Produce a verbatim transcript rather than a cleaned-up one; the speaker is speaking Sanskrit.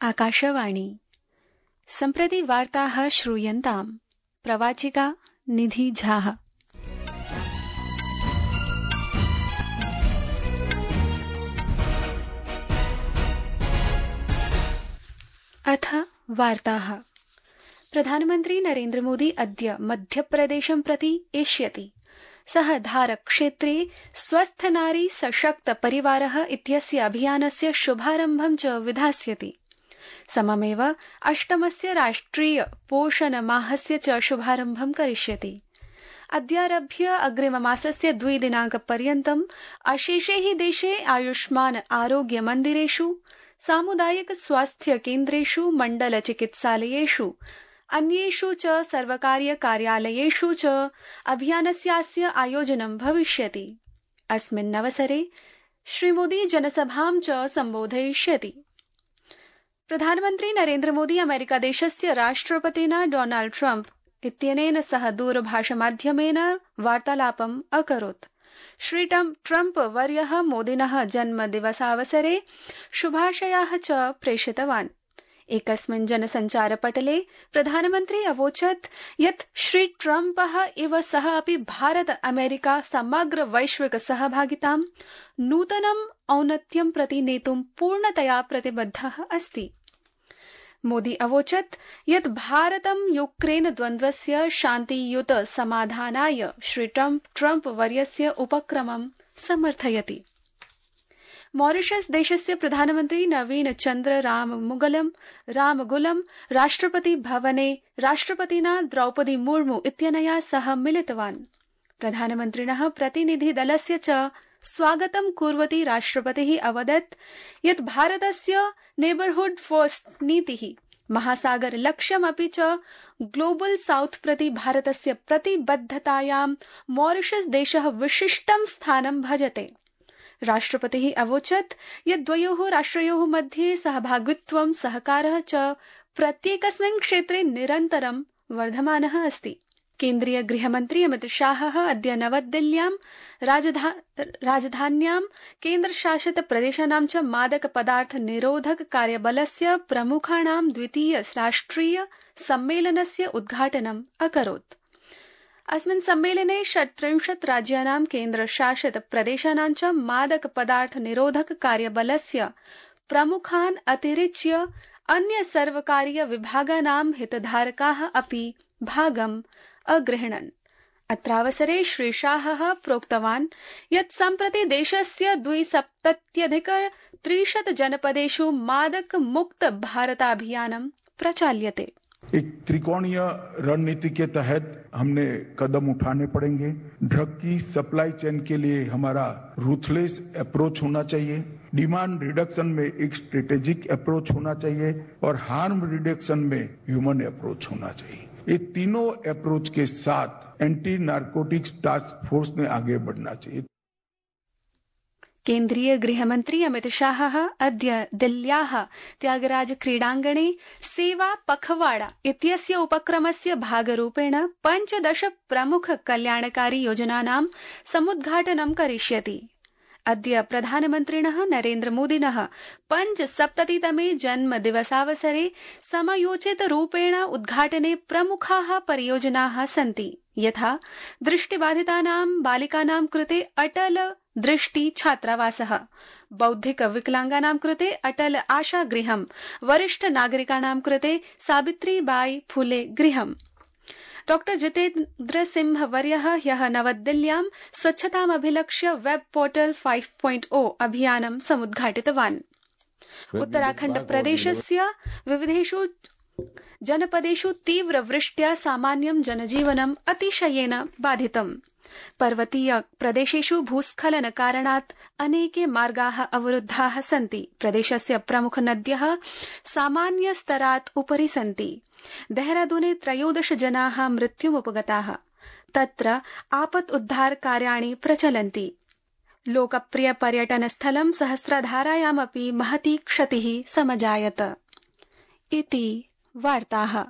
आकाशवाणी सम्प्रति वार्ताः श्रूयन्ताम्। प्रवाचिका निधि झा। अथ वार्ताः। प्रधानमन्त्री नरेन्द्र मोदी अद्य मध्यप्रदेशं प्रति एष्यति। सः धारक्षेत्रे स्वस्थ नारी सशक्त परिवारः इत्यस्य अभियानस्य शुभारम्भं च विधास्यति। सममेव अष्टमस्य राष्ट्रिय पोषण माहस्य च शुभारम्भं करिष्यति। अद्यारभ्य अग्रिममासस्य द्विदिनाङ्कपर्यन्तम् अशेषे हि देशे आयुष्मान आरोग्य मन्दिरेषु, सामुदायिक स्वास्थ्य केन्द्रेषु, मण्डल चिकित्सालयेषु, अन्येषु च सर्वकारीय कार्यालयेषु च अभियानस्यास्य आयोजनं भविष्यति। अस्मिन्नवसरे श्रीमोदी जनसभां च सम्बोधयिष्यति। प्रधानमन्त्री नरेन्द्र मोदी अमेरिकादेशस्य राष्ट्रपतिना डोनाल्ड ट्रम्प इत्यनेन सह दूरभाषमाध्यमेन वार्तालापम् अकरोत्। श्री ट्रम्प वर्यः मोदिनः जन्मदिवसावसरे शुभाशयाः च प्रेषितवान्। एकस्मिन् जनसञ्चारपटले प्रधानमन्त्री अवोचत् यत् श्री ट्रम्पः इव सः अपि भारत अमेरिका समग्र वैश्विक सहभागितां नूतनम् औन्नत्यं प्रति नेतुं पूर्णतया प्रतिबद्धः अस्ति। मोदी अवोचत् यत् भारतं यूक्रेन द्वन्द्वस्य शान्तियुत समाधानाय श्री ट्रम्प वर्यस्य उपक्रमं समर्थयति। मॉरिशस देशस्य प्रधानमन्त्री नवीन चन्द्र राममुगलं रामगुलं राष्ट्रपति भवने राष्ट्रपतिना द्रौपदी मुर्मू इत्यनया सह मिलितवान्। प्रधानमन्त्रिणः प्रतिनिधिदलस्य च स्वागतं कुर्वती राष्ट्रपतिः अवदत् यत् भारतस्य नेबरहुड फर्स्ट नीतिः महासागर लक्ष्यमपि च ग्लोबल साउथ प्रति भारतस्य प्रतिबद्धतायां मॉरिशस देशः विशिष्टं स्थानं भजते। राष्ट्रपतिः अवोचत् यत् द्वयोः राष्ट्रयोः मध्ये सहभागित्वं सहकारः च प्रत्येकस्मिन् क्षेत्रे निरन्तरं वर्धमानः अस्ति। केन्द्रीय गृहमन्त्री अमित शाहः अद्य नवदिल्ल्यां राजधा राजधान्यां केन्द्रशासित प्रदेशानां च मादक पदार्थ निरोधक कार्यबलस्य प्रमुखाणां द्वितीय राष्ट्रिय सम्मेलनस्य उद्घाटनम् अकरोत्। अस्मिन् सम्मेलने षट्त्रिंशत् राज्यानां केन्द्रशासित प्रदेशानां च मादक पदार्थ निरोधक कार्यबलस्य प्रमुखान् अतिरिच्य अन्य सर्वकारीय विभागानां हितधारकाः अपि भागम् अगृह्णन्। अत्रावसरे श्री शाहः प्रोक्तवान् यत् सम्प्रति देशस्य द्विसप्तत्यधिक त्रिशत जनपदेषु मादक मुक्त भारताभियानं प्रचाल्यते। एक त्रिकोणीय रणनीति के तहत हमने कदम उठाने पड़ेंगे। ड्रग की सप्लाई चेन के लिए हमारा रूथलेस अप्रोच होना चाहिए, डिमांड रिडक्शन में एक स्ट्रेटेजिक अप्रोच होना चाहिए और हार्म रिडक्शन में ह्यूमन अप्रोच होना चाहिए। ये तीनों अप्रोच के साथ एंटी नार्कोटिक्स टास्क फोर्स ने आगे बढ़ना चाहिए। केन्द्रीय गृहमन्त्री अमित शाहः अद्य दिल्ल्याः त्यागराज क्रीडाङ्गणे सेवा पखवाड़ा इत्यस्य उपक्रमस्य भागरूपेण पञ्चदश प्रमुख कल्याणकारी योजनानां समुद्घाटनं करिष्यति। अद्य प्रधानमन्त्रिणः नरेन्द्र मोदिनः पञ्चसप्ततितमे जन्मदिवसावसरे समयोचितरूपेण उद्घाटने प्रमुखाः परियोजनाः सन्ति, यथा दृष्टिबाधितानां बालिकानां कृते अटल दृष्टि छात्रावासः, बौद्धिक विकलांगानां कृते अटल आशा गृहम्, वरिष्ठ नागरिकाणां कृते सावित्रीबाई फुले गृहम्। डॉक्टर जितेन्द्र सिंह वर्यः ह्यः नवदिल्ल्यां स्वच्छतामभिलक्ष्य web portal five point o अभियानं समुद्घाटितवान्। उत्तराखण्ड प्रदेशस्य विविधेषु जनपदेषु तीव्रवृष्ट्या सामान्यं जनजीवनं अतिशयेन बाधितम्। पर्वतीय प्रदेशेषु भूस्खलन कारणात् अनेके मार्गाः अवरुद्धाः सन्ति। प्रदेशस्य प्रमुख नद्यः सामान्य स्तरात् उपरि सन्ति। देहरादूने त्रयोदश जनाः मृत्युमुपगताः। तत्र आपत् उद्धार कार्याणि प्रचलन्ति। लोकप्रिय पर्यटनस्थलं सहस्रधारायामपि महती क्षतिः समजायत। इति वार्ताः।